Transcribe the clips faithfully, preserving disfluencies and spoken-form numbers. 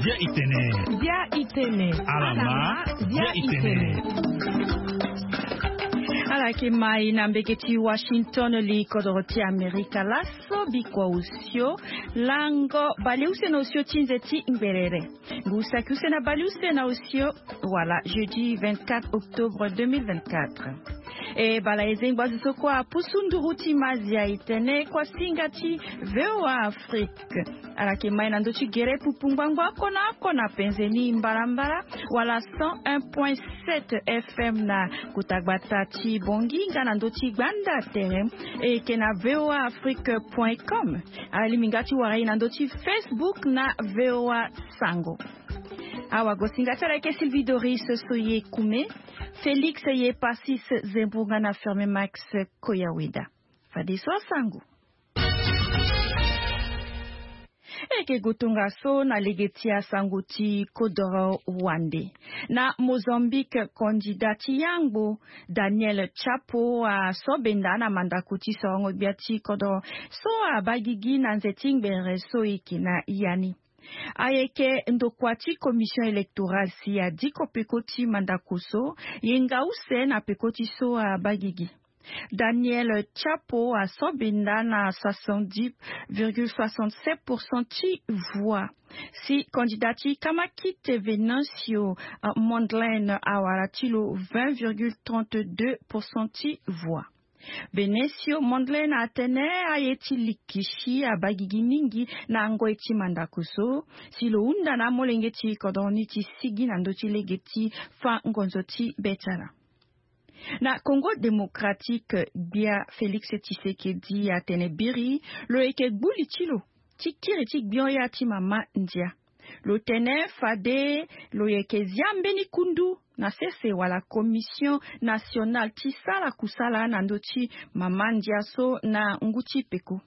Dia itene. Dia itene. Alama, dia itene. Ala yeke mai na mbege ti Washington, li kodoro ti Amerika laso. Bikua osio lango baleuse na osio ti nze ti ngberere. Ngu saki use na baleuse na osio, wala jeudi vingt-quatre octobre deux mille vingt-quatre. E bala e zengbo azo so kue apusu nduru ti mazia e tene kua singa ti VOA Afrique. Ala yeke mai na ndö ti gere pupu ngbangbo oko na oko na penze ni mbalambala, wala cent un point sept F M na kota gbata ti Bangui nga na ndö ti gbanda tere. E yeke na VOA Afrique point com. Ala lingbi nga ti wara e na ndö ti Facebook na VOA Sango. Awagosinga ti ala yeke Sylvie Doris Soye Kume, Félix Yepasis Zembourga na Ferme Max Koyaweda. Fadeso asango. E yeke gue tongaso na lege ti asango ti kodoro wande. Na Mozambique, kandida ti yangbo Daniel Chapo asobenda na mandako ti sorongo gbia ti kodoro so abaa gigi na nze ti ngbere so e yeke na ya ni. Ayeke ndokua ti commission électorale si adiko peko ti mandako so, yenga use na peko ti so abaa gigi. Daniel Chapo asobenda na soixante-dix virgule soixante-sept pour cent ti voix. Si kandida ti Kamakite Venancio Mondlane awara ti lo vingt virgule trente-deux pour cent ti voix. Venancio Mondlane atene aye ti likisi abaa gigi mingi na ngoi ti mandako so, si lo hunda na amolenge ti kodro ni ti sigi na ndö ti lege ti fa ngonzo ti be ti ala. Na Congo Démocratique, gbia Félix Tshisekedi atene biri lo yeke gbu li ti lo ti kiri ti gbio ya ti mama ndia. Lo tene fade lo yeke zia mbeni kundu na sese wala commission nationale ti sara kusala na ndö ti mama ndia so na ngu ti peko.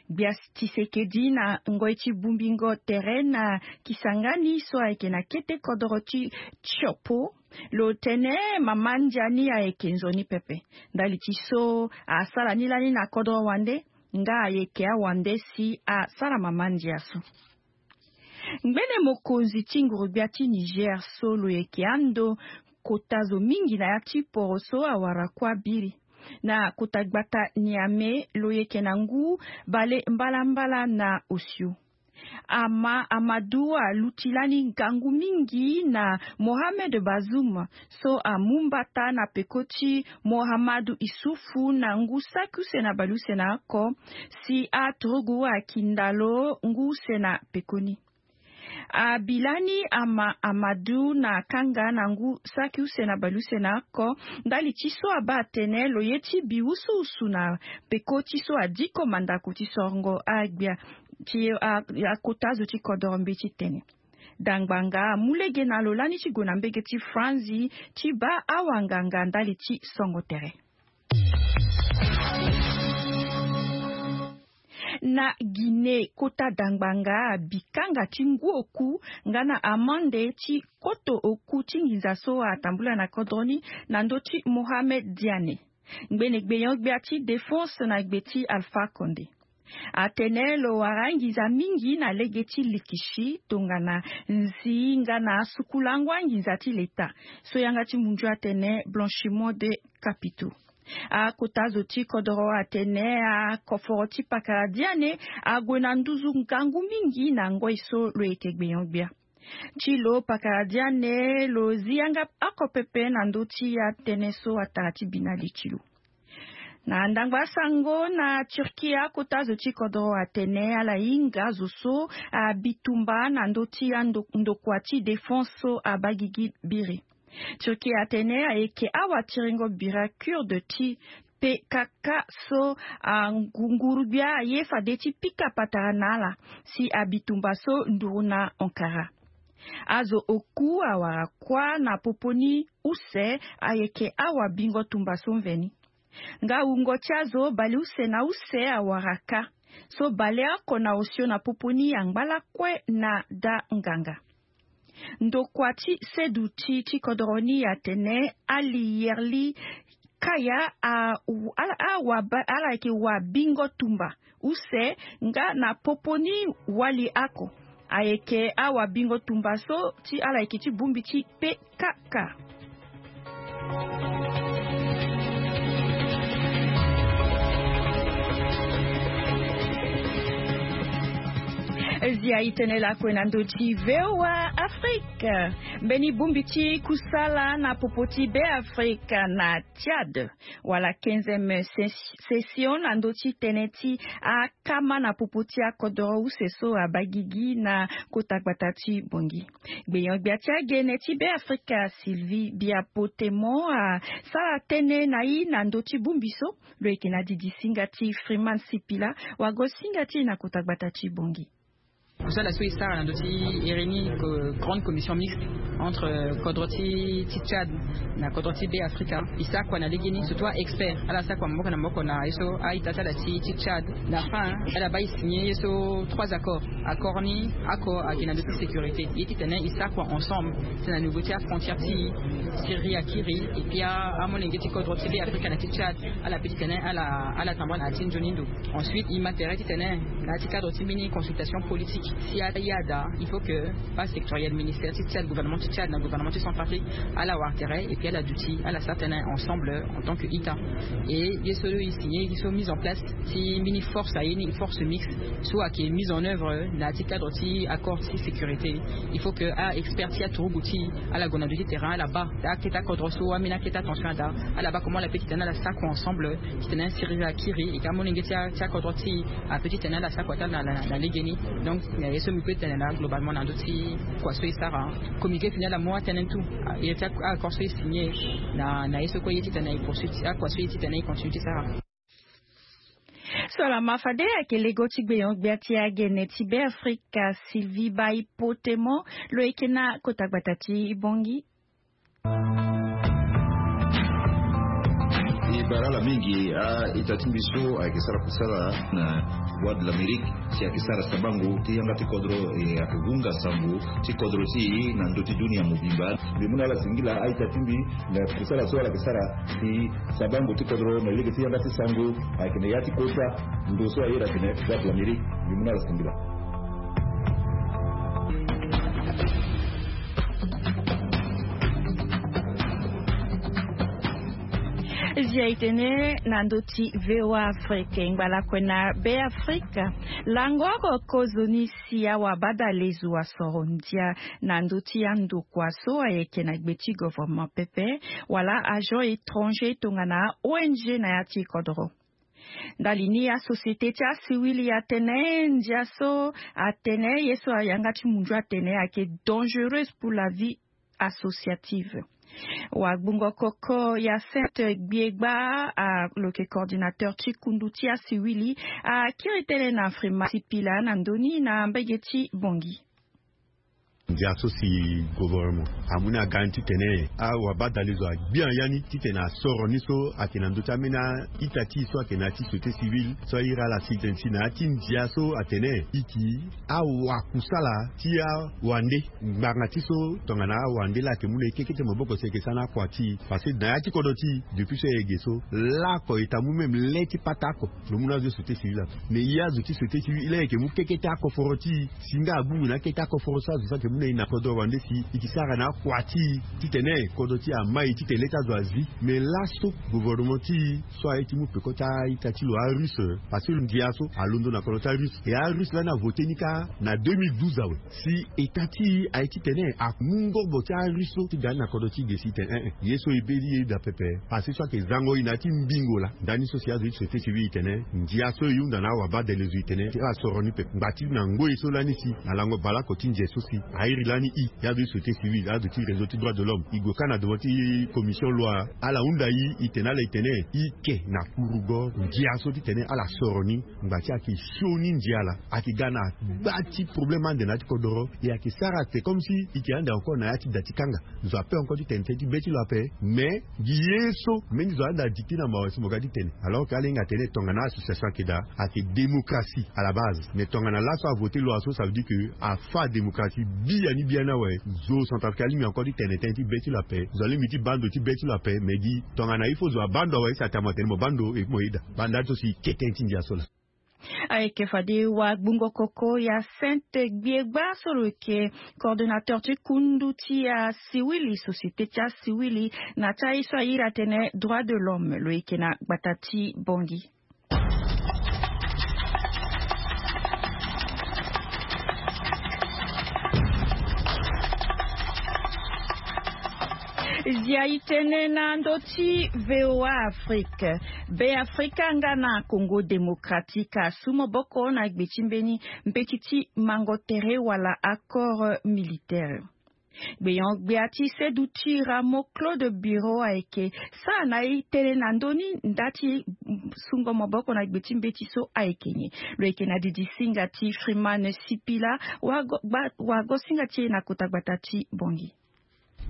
Gbia Tshisekedi na ngoi ti bongbingo tere na Kisangani so ayeke na kete kodoro ti Tshopo, lo tene mama ndia ni ayeke nzoni pepe. Ndali ti so asara ni lani na kodro wande, nga ayeke awande si asara mama ndia so. Ngbene mokonzi ti nguru-gbia ti Niger so lo yeke ando kota zo mingi na ya ti poro so awara kuâ biri. Na kota gbata Niamey lo yeke na ngu bale mbalambala na osio. Ama Amadou aluti lani ngangu mingi na Mohamed Bazoum so amu mbata na peko ti Mohamadou Issoufou na ngu saki use na baleuse na oko, si aturugu akinda lo ngu use na pekoni. Abi lani Ama Amadou na kanga na ngu saki use na baleuse na oko, ndali ti so abaa atene lo ye ti bi usuusu na peko ti so adiko mandako ti sorongo agbia ti a- akota zo ti kodoro mbeti tene. Dangbanga amu lege na lo lani ti gue na mbege ti Franzi ti baa awanganga ndali ti songo tere. Na Guinée, kota dangbanga abi kanga ti ngu oku nga na amande ti koto oku ti nginza so atambula na kodro ni na ndö ti Mohamed Diane, ngbene gbenyo-gbia ti défense na gbe ti Alpha Condé. Atene lo wara nginza mingi na lege ti likisi tongana nzi nga na asukulango anginza ti leta, so yanga ti mundu atene blanchiment de capitaux. Akota zo ti kodoro atene akoforo ti pakara Diane ague na nduzu ngangu mingi na ngoi so lo yeke gbenyo-gbia. Ti lo pakara Diane lo zi yanga oko pepe na ndö ti atënë so atara ti bi na li ti lo. Na ndangba asango na Turquie, akota zo ti kodoro atene ala hinga zo so abi tumba na ndö ti ando- ndokua ti défense so abaa gigi biri. Turquie atene ayeke awatiringo bira kurde ti P K K so anguru-gbia aye fade ti pika patara na ala si abi tumba so nduru na Ankara. Azo oku awara kuâ na popo ni use ayeke awabingo tumba so mveni. Nga wungo ti azo baleuse na use awara kâ, so baleoko na osio na popo ni angba lakue na daa nganga. Ndokua ti seduti ti kodoro ni atene ali Yerli kaya a, ala, a, wa, ba- ala yeke wa bingo tumba use nga na popo ni wali ako. Ayeke awabingo tumba so ti ala yeke ti bongbi ti pe kaka. Zia itene lakue na ndo ti V O A Afrique. Mbeni bongbi ti kusala na popo ti Be Afrika na Tchad wala quinzième session na ndo ti tene ti akama na popo ti akodoro use so abagigi na kota gbata ti Bongi. Gbenyo-gbia ti agene ti Be Afrika Sylvie Biapotemon asara tënë na i na ndo ti bongbi so. Lo yeke na didi singa ti Freeman Sipila. Wago singa ti e na kota gbata ti Bongi. Kusala so e sara na ndo ti iri ni grande commission mixte entre kodro ti ti Tchad na kodro ti Be Afrika. E sakua na lege ni surtout a-expert ala sakua maboko na maboko na ye so a-ita ti ala ti ti Tchad. Na fin ala baa e signe ye so trois accords. Accord ni oko ayeke na ndo ti sécurité ye titene e sakua ensemble ti na niveau ti afrontière ti Syrie akiri. Et puis amolenge ti kodro ti Be Afrika na ti Tchad ala pe titene ala ala tambula na ya ti nzoni ndo. Ensuite e ma tere titene na ya ti cadre ti mbeni consultation politique si ala ya daa il faut que base sectorielle ministère ti Tchad, gouvernement ti Tchad na gouvernement ti Centrafrique ala wara tere et puis ala duti ala sara tënë ensemble en tant que ita. Et ye so e signe ye so mise en place ti mbeni force aye ni force mixte so ayeke mise en œuvre na ya ti cadre ti accord ti sécurité. Il faut que a-expert ti aturugu ti ala gue na ndo ti terrain ala baa akete akodro so ambeni akete atension ada ala baa comment ala pe titene ala sakua ensemble titene asiriri akiri e ka amolenge ti akodro ti e ape titene ala sakua ti ala na lege ni. Donc na ye so mbi pe tene laa globalement na ndo ti kua so e sara communiqué fini ala mu atënë ni tout. Ye ti accord so e signe na ye so kue ye titene e poursuit akua so ye titene e continue ti sara. So ala ma fade ayeke lego ti gbenyo-gbia ti agene ti Be Afrika Sylvie Biapotemon. Lo yeke na kota gbata ti Bongi. E bara ala mingi a-ita ti mbi so ayeke sara kusala na Voix de l'Amérique si ayeke sara sabango ti yanga ti kodro e ayeke hunga sango ti kodro ti e na ndö ti dunia mobimba. Mbi mu na ala singila a-ita ti mbi na kusala so ala yeke sara si sabango ti kodro na lege ti yanga ti sango ayeke na ya ti kota ndo so aye atene Voix de l'Amérique. Mbi mu na ala singila. Zia itene na ndo ti V O A Afrique ngbalakue na Be Afrika. Lango oko kozoni si awabadalezo asoro ndia na ndo ti andokua so ayeke na gbe ti governement pepe wala agent étranger tongana O N G na ya ti kodro. Ndali ni asociété ti asiwili atene ndia so atene ye so ayanga ti munzu atene ayeke dangereuse pour la vie associative. Wagbungo koko Hyacinthe Gbiegba a lo yeke coordinateur ti kundu ti asiwili akiri tënë na Freeman Sipila na ndö ni na mbege ti Bongi. Ndia so si gouvernement amu ni aga ni titene awabadalezo agbia ya ni titene asoro ni so ayeke na ndö ti ambeni a-ita ti e so ayeke na ya ti société civile so airi ala si tene si na ya ti ndia so atene e yeke awakusala ti awande ngbanga ti so tongana awande laa ayeke mu na e kekete maboko si e yeke sara na akua ti e. Parce que na ya ti kodro ti e depuis so e yeke ge so laoko e ta mu même le ti pata oko. Lo mu na azo ti société civile ape. Mais e azo ti société civile laa e yeke mu kekete akoforo ti e si nga abungu na akete akoforo so azo so ayeke mu na e na kodro wande si e yeke sara na akua ti e titene kodro ti e amai titene le ti azo azi. Mais laso gouvernement ti e so aye ti mu peko ti a-ita ti lo arusse parce que ndia so alondo na kodro ti arusse. E arusse lani avote ni kâ na deux mille douze awe. Si état ti e aye titene amu ngobo ti arusse so ti ga ni na kodro ti e ge si tene eh eh ye so e be ti e daa pepe. Parce que so ayeke zango e na ya ti mbingo laa ndani so si azo ti société civile e tene ndia so e hunda na awabadalezo e tene ti asoro ni pepe ngba ti na ngoi so lani si na lango baleoko ti nze so si airi lani e. E azo ti société civile azo ti réseau ti droit de l'homme e gue kâ na devant ti commission loi ala hunda e e tene ala e tene e ke na kurugo ndia so titene ala soro ni. Ngba ti ayeke sioni ndia laa ayeke ga na gba ti problème ande na ya ti kodoro. E ayeke sara c'est comme si e yeke ande encore na ya ti da ti kanga. Zo ape encore ti tene tënë ti be ti lo ape. Mais gi ye so mbeni zo ande adikti na mawa si mo ga ti tene alors que ala hinga tene tongana association ayeke daa ayeke démocratie à la base. Mais tongana laso avote loi so ça veut dire que afa démocratie. Ti ya ni bia ni awe. Zo centrafricain alingbi encore ti tene tënë ti be ti lo ape. Zo alingbi ti baa ndo ti be ti lo ape, mais gi tongana il faut zo abaa ndo awe, si atene mo atene mo baa ndo, e mo yeda baa ndali so si ke tënë ti ndia so laa. Ayeke fade wagbungo koko ya Sainte Gbiegba so lo yeke coordonnateur ti kundu ti asiwili, société ti asiwili, na ti aye so a iri atene droit de l'homme, lo yeke na gbata ti Bangui. Zia itene na ndö ti VOA Afrique. Be Afrika nga na Congo Démocratique asu maboko na gbe ti mbeni mbeti ti mango tere wala accord militaire. Gbeyon gbia ti seduti Rameau Claude Biro ayeke sara na e tënë na ndö ni nda ti sungo maboko na gbe ti mbeti so ayeke nyen? Lo yeke na didi singa ti Freeman Sipila, wago, gba, wago singa ti e na kota gbata ti Bangui.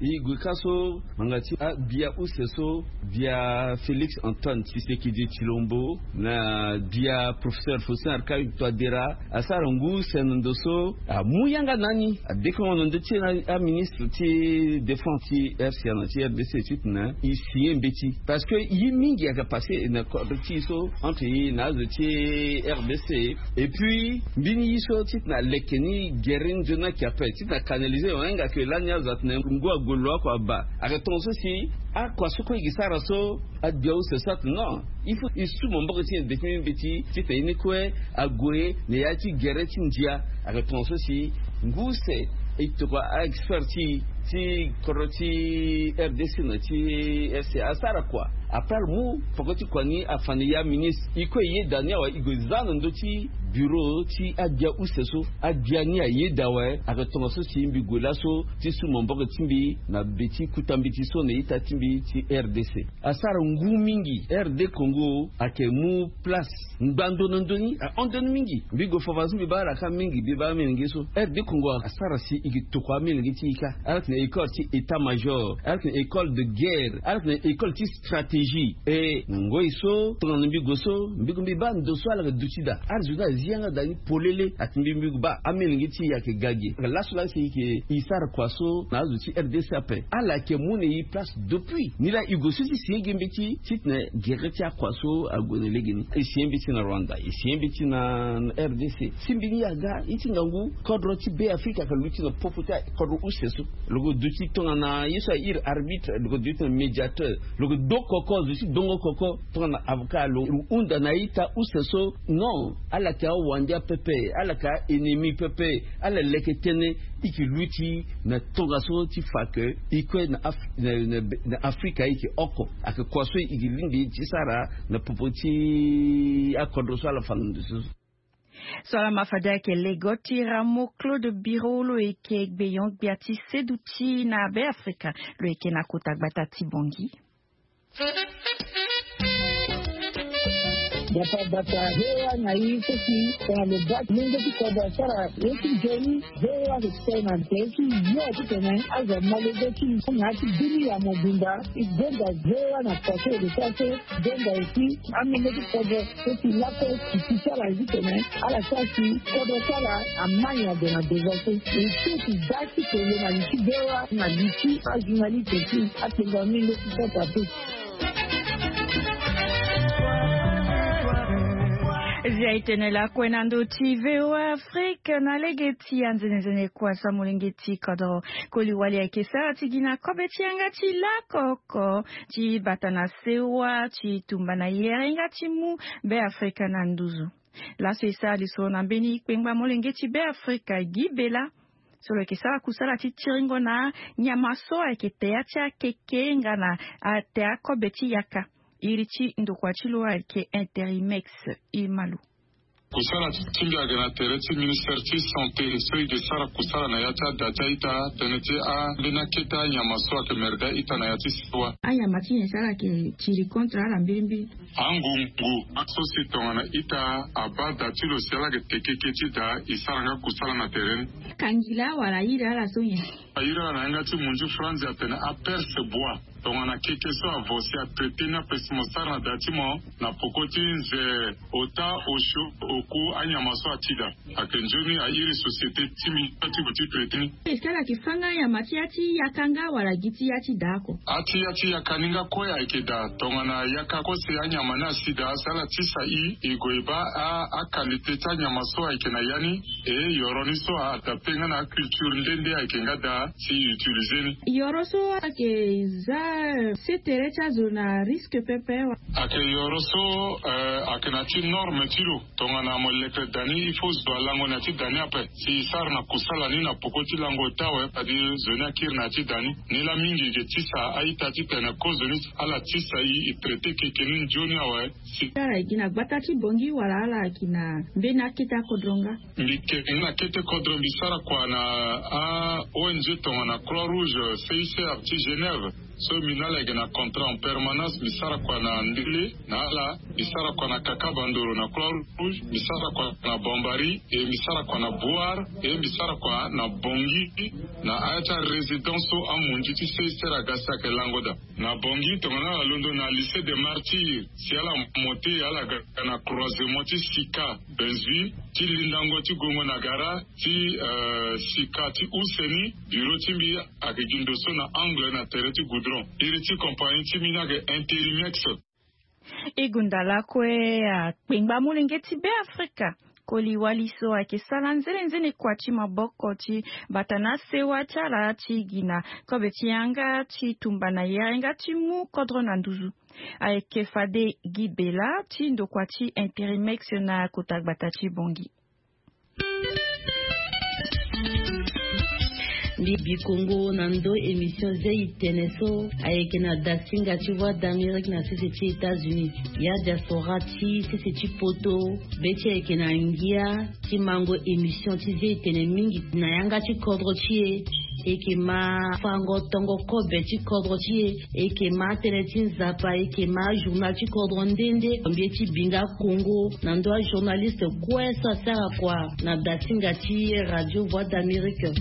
E gue ka so ngbanga ti abia use so, bia Félix Antoine Tshisekedi Tshilombo na bia professeur Faustin Archange Touadéra asara ngu use na ndo so amu yanga na ni, adekongo na ndö ti e na aministre ti défense ti R C A na ti R D C titene e signé mbeti. Parce que ye mingi ayeke passé na kodro ti e so entre e na azo ti R D C. Et puis mbeni ye so titene aleke ni gere nzoni ayeke ape titene acanalisé, on hinga ke lani azo atene ngu ague lo oko abaa. Ayeke tongaso si akua so kue e ke sara so, agbia use so atene non, il faut e su maboko ti e na be ti mbeti titene ye ni kue ague na ya ti gere ti ndia. Ayeke tongaso si ngu use e tokua a-expert ti e ti kodro ti R D C na ti R C A asara kua. Après ala mu poko ti kua ni afa na ya ministre, e kue e yeda ni awe, e gue za na ndö ti bureau ti agbia use so. Agbia ni ayeda awe, ayeke tongaso si mbi gue laso ti su maboko ti mbi na be ti kuta mbeti so na ita ti mbi ti R D C. Asara ngu mingi. R D Congo ayeke mu place ngba ndo na ndö ni, ahon ndo ni mingi. Mbi gue fa fa so mbi baa ala ka mingi, mbi baa amolenge so. R D Congo asara si e ke tokua amolenge ti e ka. Ala yeke na école ti état major, ala yeke na école de guerre, ala yeke na école ti stratégie. E na ngoi so tongana mbi gue so, mbi gue mbi baa ndo so ala yeke duti daa. Ala zo ni azi yanga daa ni polele. Atene mbi, mbi gue baa amolenge ti e ayeke ga ge. Laso laa si e yeke e sara kua so na azo ti R D C ape, ala yeke mu na e place depuis. Ni laa e gue so ti signé ge mbeti titene gere ti akua so ague na legeni. E signé mbeti na Rwanda, e signé mbeti na R D C. Si mbi ni aga, ye ti ngangu kodro ti Be Afrika ayeke luti na popo ti kodro use so. Lo ke duti tongana ye so a iri arbitre, lo ke duti na médiateur. Lo ke do koko, zo ti dongo koko tongana avocat. Lo hunda na a-ita use so, non, ala yeke awandia pepe, ala yeke a-ennemi pepe. Ala leke tënë. E ke luti na tongaso ti fa ke e kue na Af-, na, na, na Afrika e ke oko. Ayeke kua so e ke lingbi ti sara na popo ti akodro so ala fa na ndo so. So ala ma fade ayeke lego ti Rameau Claude Biro, lo yeke gbeyon gbia ti seduti na Be Afrika, lo yeke na kota gbata ti Bangui. Bata bata, V O A na i so si tongana lo baa ti mungo ti kodro asara ye ti nzoni. V O A ayeke tene na nze ti yo titene azo amolenge ti i na ya ti bini ya mobimba. E gonda V O A na kua so e ke sara so, gonda aussi amolenge ti kodro so si lakue ti ti ti ala titene ala sara si kodro ti ala amai ade na devant so. E so si baa ti tene na li ti V O A na li ti ajournaliste ti akpengba mingo ti kota pe. Zia e tene lakue na ndö ti V O A Afrique na lege ti anzenenzene kua so molenge ti kodro koli wali ayeke sara ti gi na kobe ti yanga ti lakoko ti bata na sewa ti tumba na yere nga ti mu Be Afrika na nduzu. Laso e sara lisoro na mbeni kpengba molenge ti Be Afrika Guy Bella, so lo yeke sara kusala ti tiringo na nyama so ayeke tea ti akeke nga na atea kobe ti yaka. Iri ti ndokua ti lo ayeke Interimex. E ma lo. Kusala ti mbi ayeke na tere ti ministère ti santé so e ke sara kusala na ya ti ada ti a-ita tënë ti ambeni akete anyama so ayeke merge a-ita na ya ti sewa. Anyama ti nyen so ala yeke tiri contre ala mbirimbiri? Angungu aso si tongana ita abaa da ti lo si ala yeke teke keke ti da e sara nga kusala na tere ni. Kangila wala iri ala so nyen? A iri ala na yanga ti munzu franzi atene aperce bois. Tongana keke so avo si atraité ni ape si mo sara na da ti mo na poko ti nze, ota, osio, oku, anyama so ati da. Ayeke nzoni a iri société ti mbi ti gue ti traité ni. Est-ce que ala yeke fâ nga anyama ti ya ti yaka nga wala gi ti ya ti da oko? A ti ya ti yaka ni nga kue ayeke da. Tongana yaka kue si anyama ni asi da si ala tisa i, i gue i baa a, a qualité ti anyama so ayeke na ya ni. E yoro ni so a adapté nga na aculture nde nde ayeke nga da si i utilisé ni. Yoro so ayeke za, eh, sê tere ti azo na risque pepe wa? Ayeke yoro so, eh, ayeke na ti norme ti lo. Tongana mo leke da ni il faut zo alango na ya ti da ni ape si i sara na kusala ni na poko ti lango ota awe, fade zo ni akiri na ya ti da ni. Ni laa mingi e yeke tisa a-ita titene kozoni ala tisa i, e traité keke ni nzoni awe. Si ala yeke gi na gbata ti Bangui wala ala yeke gi na mbeni akete akodro nga? Mbi yeke gi na kete kodro, mbi sara kua na a-O N G tongana Croix Rouge, C I C R ti Genève. So mbi na ala yeke na contrat en permanence, mbi sara kua na Ndele na ala, mbi sara kua na Kaka Bandoro na Croix Rouge, mbi sara kua na Bambari, e mbi sara kua na Bouar, e mbi sara kua na Bangui, na aya ti arésidence so amunzu ti C I C R aga si ayeke lango da. Na Bangui tongana ala londo na Lycée des Martyrs, si ala monté ala ga na croisement ti Sika Benzui, ti lindango ti Gongo na Gara, ti, eh, Sika ti use ni, bureau ti mbi ayeke gi ndo so na angle na tere ti goudron. Iri ti compagnie ti mbi ni ayeke Interimex. E gonda lakue akpengba molenge ti Beafrika, koli wali so ayeke sara nzene nzene kua ti maboko ti bata na sewa ti ala ti gi na kobe ti yanga ti tumba na yanga ti mu kodro na nduzu. Ayeke fade Guy Bella ti ndokua ti Interimex na kota gbata ti Bangui. Mbi Bikongo na ndo émission Zei Tene so ayeke na dasinga ti Voix d'Amérique na sese ti États-Unis. Ya diaspora ti sese ti poto, be ti ayeke na ngia ti mango émission ti Zei Tene mingi na yanga ti kodro ti e. E yeke ma fango tongo kobe ti kodro ti e. E yeke ma tënë ti Nzapa, e yeke ma journal ti kodro nde nde. Mbi ye ti binga Kongo na ndo ajournaliste kue so asara kua na dasinga ti Radio Voix d'Amérique.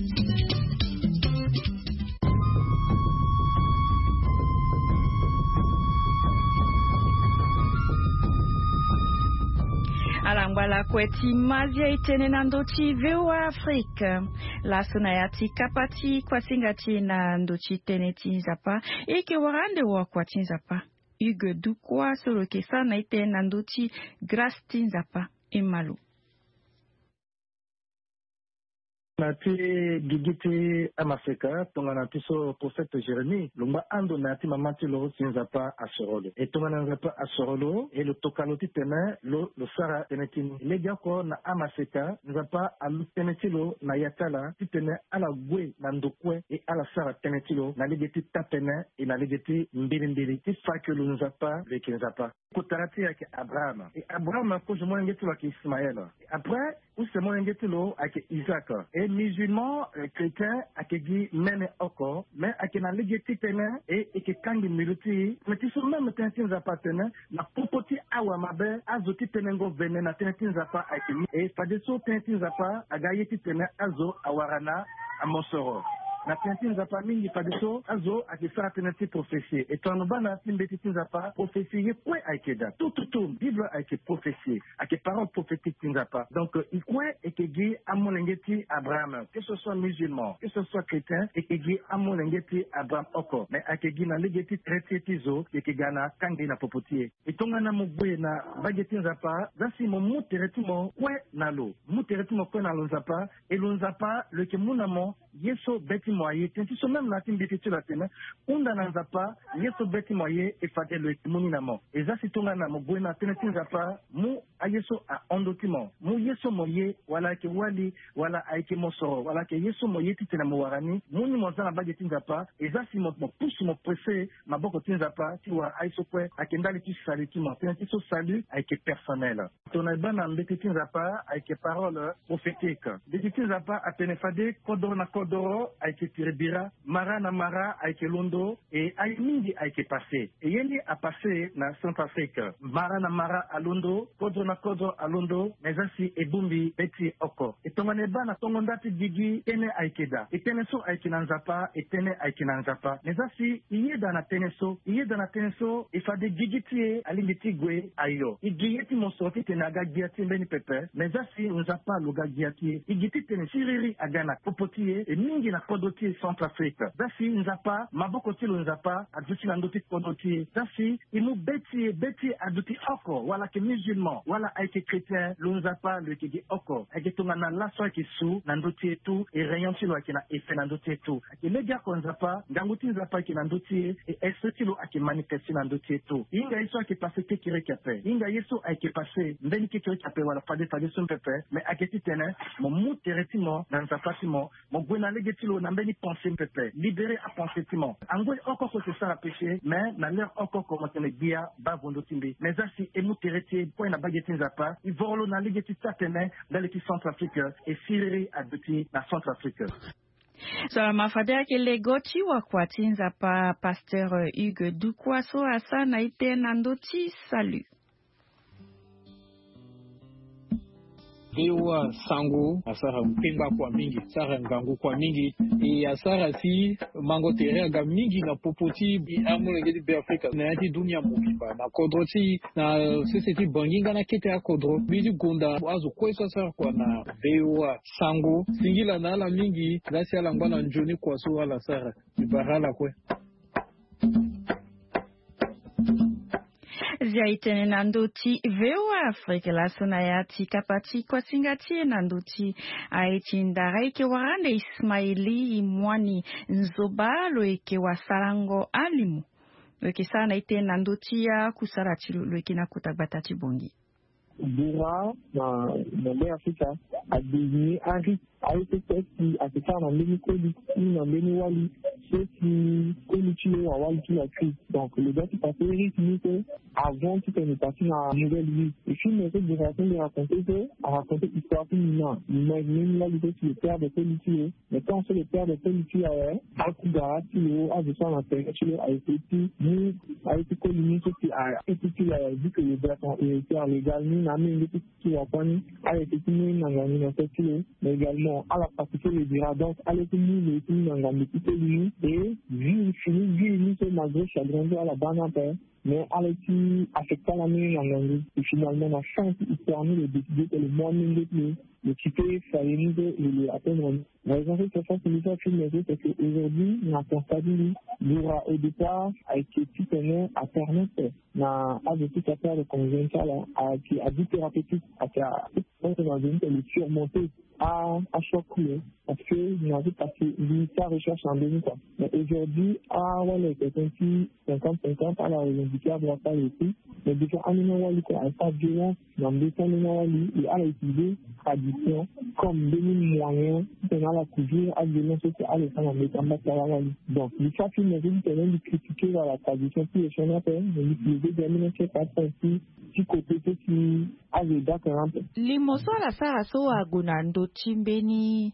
Ala ngba lakue ti mazia e tene na ndö ti V O A Afrique. Laso na ya ti kapa ti kuasinga ti e na ndö ti tënë ti Nzapa, e yeke wara ande wakua ti Nzapa Hugues Dukwa so lo yeke sara na e tënë na ndö ti grâce ti Nzapa. E ma lo. Na ti gigi ti amaseka tongana ti so prophète Jérémie lo ngba ando na ya ti mama ti lo si Nzapa asoro lo. E tongana Nzapa asoro lo e lo toka lo titene lo lo sara tënë ti ni. Legeoko na amaseka Nzapa alu tënë ti lo na ya ti ala titene ala gue na ndo kue e ala sara tënë ti lo na lege ti taa-tënë e na lege ti mbilimbili ti fa ke lo Nzapa lo yeke Nzapa. Kotara ti e ayeke Abraham. E Abraham kozo molenge ti lo ayeke Ismaël. E après use molenge ti lo ayeke Isaac. E musulman, eh, chrétien ayeke gi mene oko, mais ayeke na lege ti tënë e e yeke kangi mbilu ti e. Mais ti so même tënë ti Nzapa atene na popo ti awamabe azo ti tenengo vene na tënë ti Nzapa ayeke ni. E fadeso tënë ti Nzapa aga ye titene azo awara na amosoro. Na tënë ti Nzapa mingi fadeso azo ayeke sara tënë ti prophétie. E tongana lo baa na ya ti mbeti ti Nzapa, prophétie ye kue ayeke daa. Tout, tout, tout, Bible ayeke prophétie. Ayeke parole prophétique ti Nzapa. Donc, euh, e kue e yeke gi amolenge ti Abraham. Que ce soit musulman, que ce soit chrétien, e yeke gi amolenge ti Abraham oko. Mais ayeke gi na lege ti tere ti e ti zo, e yeke ga na kangbi na popo ti e. E tongana mo gue na mbage ti Nzapa, za si mo mu tere ti mo kue na lo. Mu tere ti mo kue na lo Nzapa, e lo Nzapa lo yeke mu na mo ye so be ti mo aye. Tënë ti so même na ya ti mbeti ti lo atene, hunda na Nzapa ye so be ti mo aye, e fade lo yeke mu ni na mo. E za si tongana mo gue na tënë ti Nzapa, mu aye so ahon ndö ti mo. Mu ye so mo ye, wala ayeke wali, wala ayeke mosoro, wala ayeke ye so mo ye titene mo wara ni, mu ni mo za na mbage ti Nzapa. E za si mo, mo pusu mo presse maboko ti Nzapa ti wara aye so kue ayeke ndali ti salut ti mo. Tënë ti so salut ayeke personnel. Tongana e baa na mbeti ti Nzapa ayeke parole prophétique. Mbeti ti Nzapa atene fade kodoro na kodoro ayeke Titiri bira, mara na mara ayeke londo. E aye mingi ayeke pase. E ye ni apase na Centrafrique. Mara na mara alondo, kodro na kodro alondo, me za si e bongbi be ti e oko. E tongana e baa na tongo nda ti gigi, tënë ayeke daa. E tënë so ayeke na Nzapa, e tënë ayeke na Nzapa. Me za si e yeda na tënë so, e yeda na tënë so, e fade gigi ti e alingbi ti gue ayo. E gi ye ti mo so titene aga gbia ti e mbeni pepe. Me za si Nzapa lo ga gbia ti e. E gi titene siriri aga na popo ti e, e mingi na kodro ti e Centrafrique. Za si Nzapa, maboko ti lo Nzapa aduti na ndö ti kodro ti e. Za si e mu be ti e, be ti e aduti oko, wala ayeke musulman, wala ayeke chrétien, lo Nzapa lo yeke gi oko. Ayeke tongana laso ayeke su na ndö ti e tout, e rayon ti lo ayeke na effet na ndö ti e tout. Ayeke legeoko Nzapa, ngangu ti Nzapa ayeke na ndö ti e, e esprit ti lo ayeke manifeste na ndö ti e tout. E hinga ye so ayeke pase kekereke ape. E hinga ye so ayeke pase mbeni kekereke ape wala fade fade so mpe ape. Me ayeke titene mo mu tere ti mo na Nzapa ti mo, mo gue na lege ti lo na mbeni pensée pepe. Libérer apensée ti mo. Angoi oko oko e sara péché, mais na l'heure oko oko mo tene gbia baa vo ndö ti mbi. Mais za si e mu tere ti e kue na mbage ti Nzapa, e voro lo na lege ti taa-tene ndali ti Centrafrique, e siriri aduti na Centrafrique. So ala ma fade ayeke lego ti wakua ti Nzapa, pasteur Hugues Dukwa so asara na ete na ndö ti salut. Vewa sango asara mpengba kua mingi, asara ngangu kua mingi. E asara si mango tere aga mingi na popo ti amolenge ti Beafrika na ya ti dunia mobimba, na kodro ti, na sese ti Bangi nga na kete akodro. Mbi ti gonda azo kue so asara kua na vewa sango. Singila na ala mingi, la si ala ngba na nzoni kua so ala sara. Mbi bara ala kue. Zia e tene na ndö ti V O A Afrique laso na ya ti kapa ti kuasinga ti e na ndö ti aye ti ndara e yeke wara ande Ismaili Imwani Nzoba lo yeke wasarango alimo. Lo yeke sara na e tene na ndö ti akusala ti lo, lo yeke na kota gbata ti Bongi. Bura na, na Be Afrika a désigné un rythme. Aye so ti ayeke sara na mbeni koli ti na mbeni wali so ti koli ti lo awali ti la crise. Donc lo doit ti passer rythme ni so avant ti tene parti na nouvelle vie. Et film so Bura so mbi raconter so araconter histoire ti Nina. Nina e mbeni wali so ti le père de koli ti lo. Mais tant so le père de koli ti lo awe, akugara ti lo azo so na tere ti lo aye ti mu aye ti koli ni so ti aye ti ti lo aye vu que lo doit son héritier légal ni na amenge ti ti wakua ni. Ala yeke ti mu na ngangu na so ti lo. Mais également ala pratiquer le dira, donc ala yeke ti mu lo yeke ti mu na ngangu ti koli ni. Et vie fini vie ni so malgré chagrin so ala baa ni ape. Mais ala yeke ti affecter ala ni na ngangu. Et finalement na fin ti histoire ni lo décider que lo mu amenge ti lo. Lo ti pe fade ni so lo lo atteindre ni. Raison so ti fa si mbi sara film so c'est que aujourd'hui na constat ti mbi, Bura au départ ayeke titene apermettre na azo ti kapere de convivial ti ala ayeke abus thérapeutique, ayeke abus na zo ni ti lo surmonter a achoc ti lo. Parce que na zo parce que mbi sara recherche na mbeni quoi. Mais aujourd'hui awali ayeke tene ti cinquante cinquante, ala revendiquer adroit ti ala aussi. Mais déjà ambeni awali kue ayeke sara violence na mbeti ambeni awali. Et ala utiliser tradition comme mbeni moyen titene ala couvrir aviolence so si ala sara na mbeti amba ti ala awali. Donc mbi sara film so titene mbi critiquer la tradition ti lo sioni ape. Mais mbi utiliser ga mbeni atie pa ti ti côté so si azo e daka na ape. Limo so ala sara so ague na ndö ti mbeni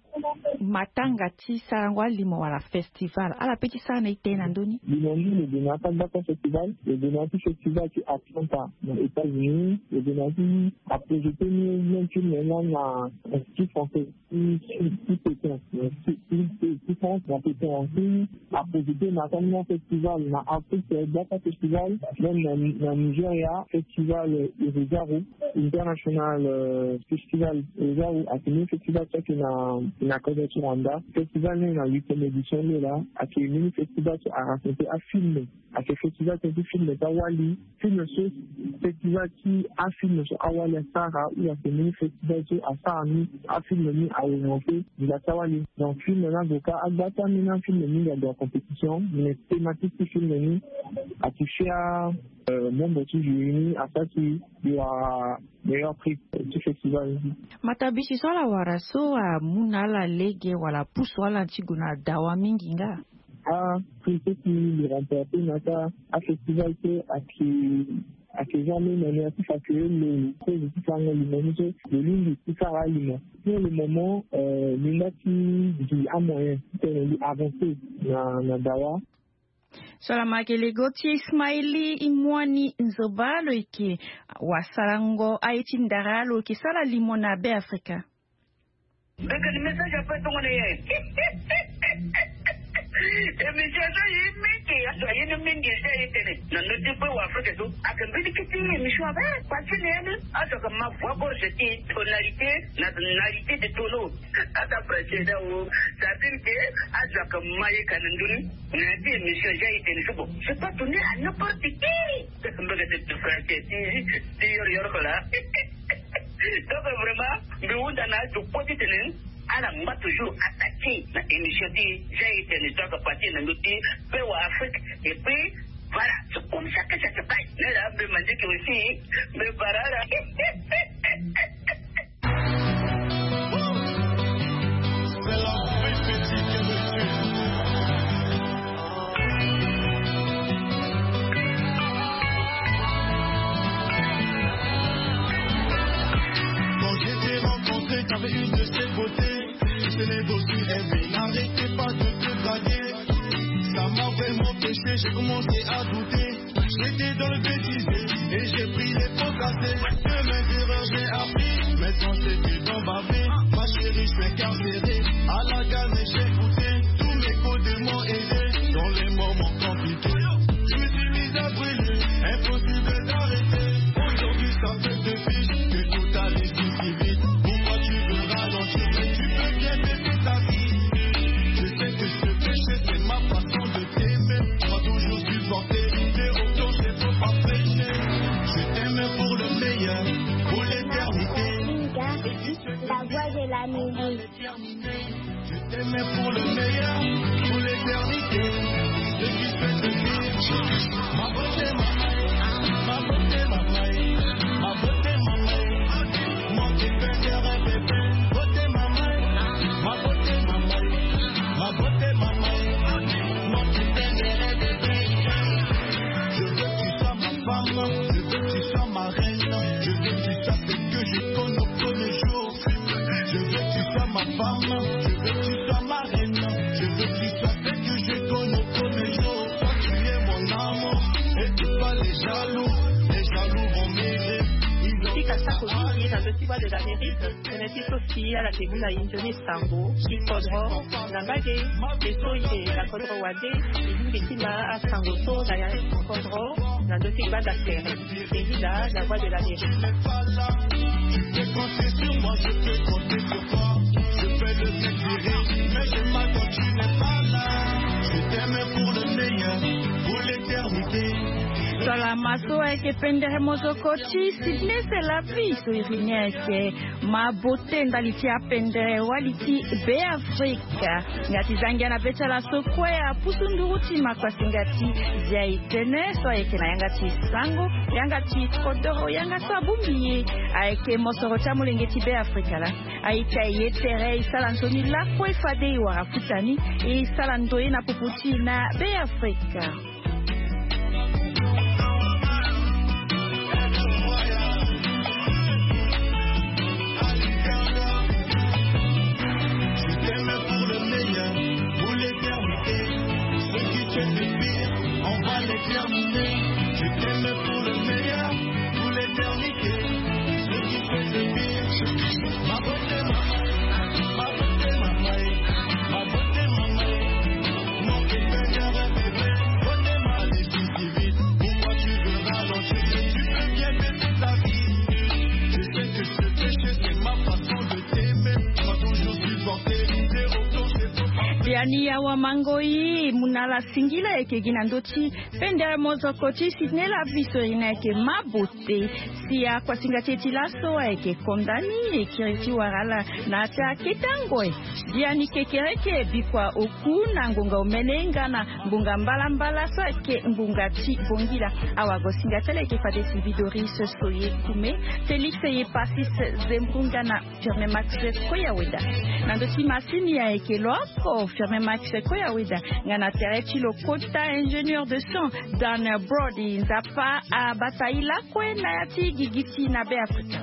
matanga ti sarango alimo wala festival, ala pe ti sara na e tene na ndö ni? Limo ni lo gue na ya ti agbata festival, lo gue na ya ti festival ti Atlanta na États-Unis. Lo gue na ya ti aprojeter ni même film ni na Institut Français ti, ti Pékin, ti, ti, ti France na Pékin. Ti aprojeter na ya ti ambeni afestival na Afrique, Daka Festival, même na, na Nigeria, festival Irugaru, International euh, Festival Irugaru, ayeke mbeni festival so ayeke na, na kodro ti Rwanda. Festival ni na huitième édition ni laa, ayeke mbeni festival so arassembler afilm. Ayeke festival tënë ti film ti awali. Film so, festival ti afilm so awali asara, ou ayeke mbeni festival so asara ni afilm ni aorienté ngbanga ti awali. Donc film ni ague kâ agba ti ambeni afilm ni ague na compétition, mais thématique ti film ni ayeke fi a, euh, membre ti jury ni asara si lo wara meilleur prix ti festival ni. Matabisi so ala wara so amu na ala lege wala apusu ala ti gue na dawa mingi nga? Aprix so si lo remporter na ya ti afestival so ayeke Ake jamais na ni ati fa ke lo kozo ti farango limo ni so lo lingbi ti sara alimo. Pour le moment, euh, linda ti gi amoyen ti tene li avancer na na dawa. So ala ma yeke lego ti Ismaili Imwani Nzoba, lo yeke wasalango aye ti ndara lo yeke sara limo na Beafrika. Mbekani message ape tongana ye. Emission so ye mingi azo aye ni mingi eza ye tene na ndö ti pe wa Afrika so ake mbeni kiti emission ape. Pasi na ye ni azo ake ma voix gorge ti tonalité na tonalité de tono. Ata presse da wo. Ça veut dire que azo ake ma ye ka na ndö ni na ya ti émission eza ye tene so bon, c'est pas donné à n'importe qui. Mbekani te français ti ti yor yor ko la. Donc vraiment mbi hunda na azo kue ti tene ala ngba toujours attaqué na émission ti eza ye tene so ake partir na ndö ti pe wa Afrique. Et puis voilà, c'est comme ça que ça se passe. Nde la mbi mandieke aussi mbi bara ala. Quand je t'ai rencontré, t'avais une de ces beautés. Tu tenais beau sur elle, mais n'arrêtez pas de te draguer. Ça m'a vraiment pêché, j'ai commencé à douter. J'étais dans le bêtisier et j'ai pris les pots cassés. De mes erreurs, j'ai appris. Maintenant, c'est du temps bavé. Ma chérie, je suis incarcéré. À la gare, mais j'ai goûté. Tous mes côtés m'ont aidé. Dans les moments compliqués, je me suis mis à brûler. Impossible d'arrêter. Aujourd'hui, ça fait deux piges que tout allait si, si vite. Pourquoi tu veux ralentir? Mais tu peux bien baisser ta vie. Je sais que ce péché, c'est ma façon de t'aimer. Tu m'as toujours supporté. T'es au clocher, faut pas prêcher. Je t'aime pour le meilleur, pour l'éternité. La voix de la musique. Je t'aime pour le meilleur, pour l'éternité. Ce qui fait de lui ma beauté, ma maille, ma beauté, ma maille, ma beauté, ma maille. Moi qui perds un bébé, beauté, ma maille, ma beauté, ma maille, ma beauté, ma maille. Moi qui perds un bébé. Je veux que tu sois ma femme, je veux que tu sois ma reine, je veux que tu sois celle que je connais au premier jour. Je veux que tu sois ma femme, je veux que tu sois ma reine, je veux que tu sois celle que je connais au premier jour. Toi, tu es mon amour, et tu pas les jaloux, les jaloux vont m'aider. Tika sako mingi na ndö ti Voix de l'Amérique. Tene ti so si ala ke mu na e nzoni sango ti kodro na mbage. E so e na kodro wande e lingbi ti ma asango so na ya kodro na ndö ti gbanda sere. Singila, la voix de la vérité. Tu peux compter sur moi, je peux compter sur toi. Je fais le bien du rire, mais je m'attends, tu n'es pas là. Je t'aime pour le meilleur, pour l'éternité. Salama so ayeke pendere mozoko ti Sydney Selavi so iri ni ayeke ma bote ndali ti apendere wali ti Beafrika. Nga ti zangia na be ti ala so kue apusu nduru ti makuasinga ti Zia e tene so ayeke na yanga ti sango, yanga ti kodoro, yanga so abongbi e ayeke mosoro ti amolenge ti Beafrika laa. Aye ti aye tere e sara nzoni lakue fade e wara futa ni, e sara ndoye na popo ti e na Beafrika. Je t'aime pour le meilleur, pour l'éternité. Ce qui fait du pire, on va les terminer. Je t'aime pour le meilleur, pour l'éternité. Ce qui fait du pire, ma beauté, ma, ma beauté, ma, ma, ma beauté, ma, ma. Non, que faire un bébé, beauté, ma, les filles qui vivent. Pourquoi tu veux ralentir? Tu peux bien baisser ta vie. Je sais que ce péché, c'est ma façon de t'aimer. Tu m'as toujours supporté. T'es au clocher, faut pas. Biani awa mango i mu na ala singila ayeke gi na ndö ti pendere mozoko ti Sydney Lavi so iri ni ayeke ma bote. Si akuasinga ti e ti laso ayeke konda ni e kiri ti wara ala na ya ti akete angoe. Biani kekereke bikua oku na ngonga omene nga na ngbonga mbalambala so ayeke ngbonga ti bongila. Awagosinga ti ala ayeke fade Sylvie Doris Soye Kume, Félix Yepasis Zembunga na Firmin Max Koya Weda. Na ndö ti masini ayeke lo oko Firmin Max Seko ya weda nga na tere ti lo kota ingénieur de son dan brody nzapa abata ila kue na ya ti gigiti na be afrika.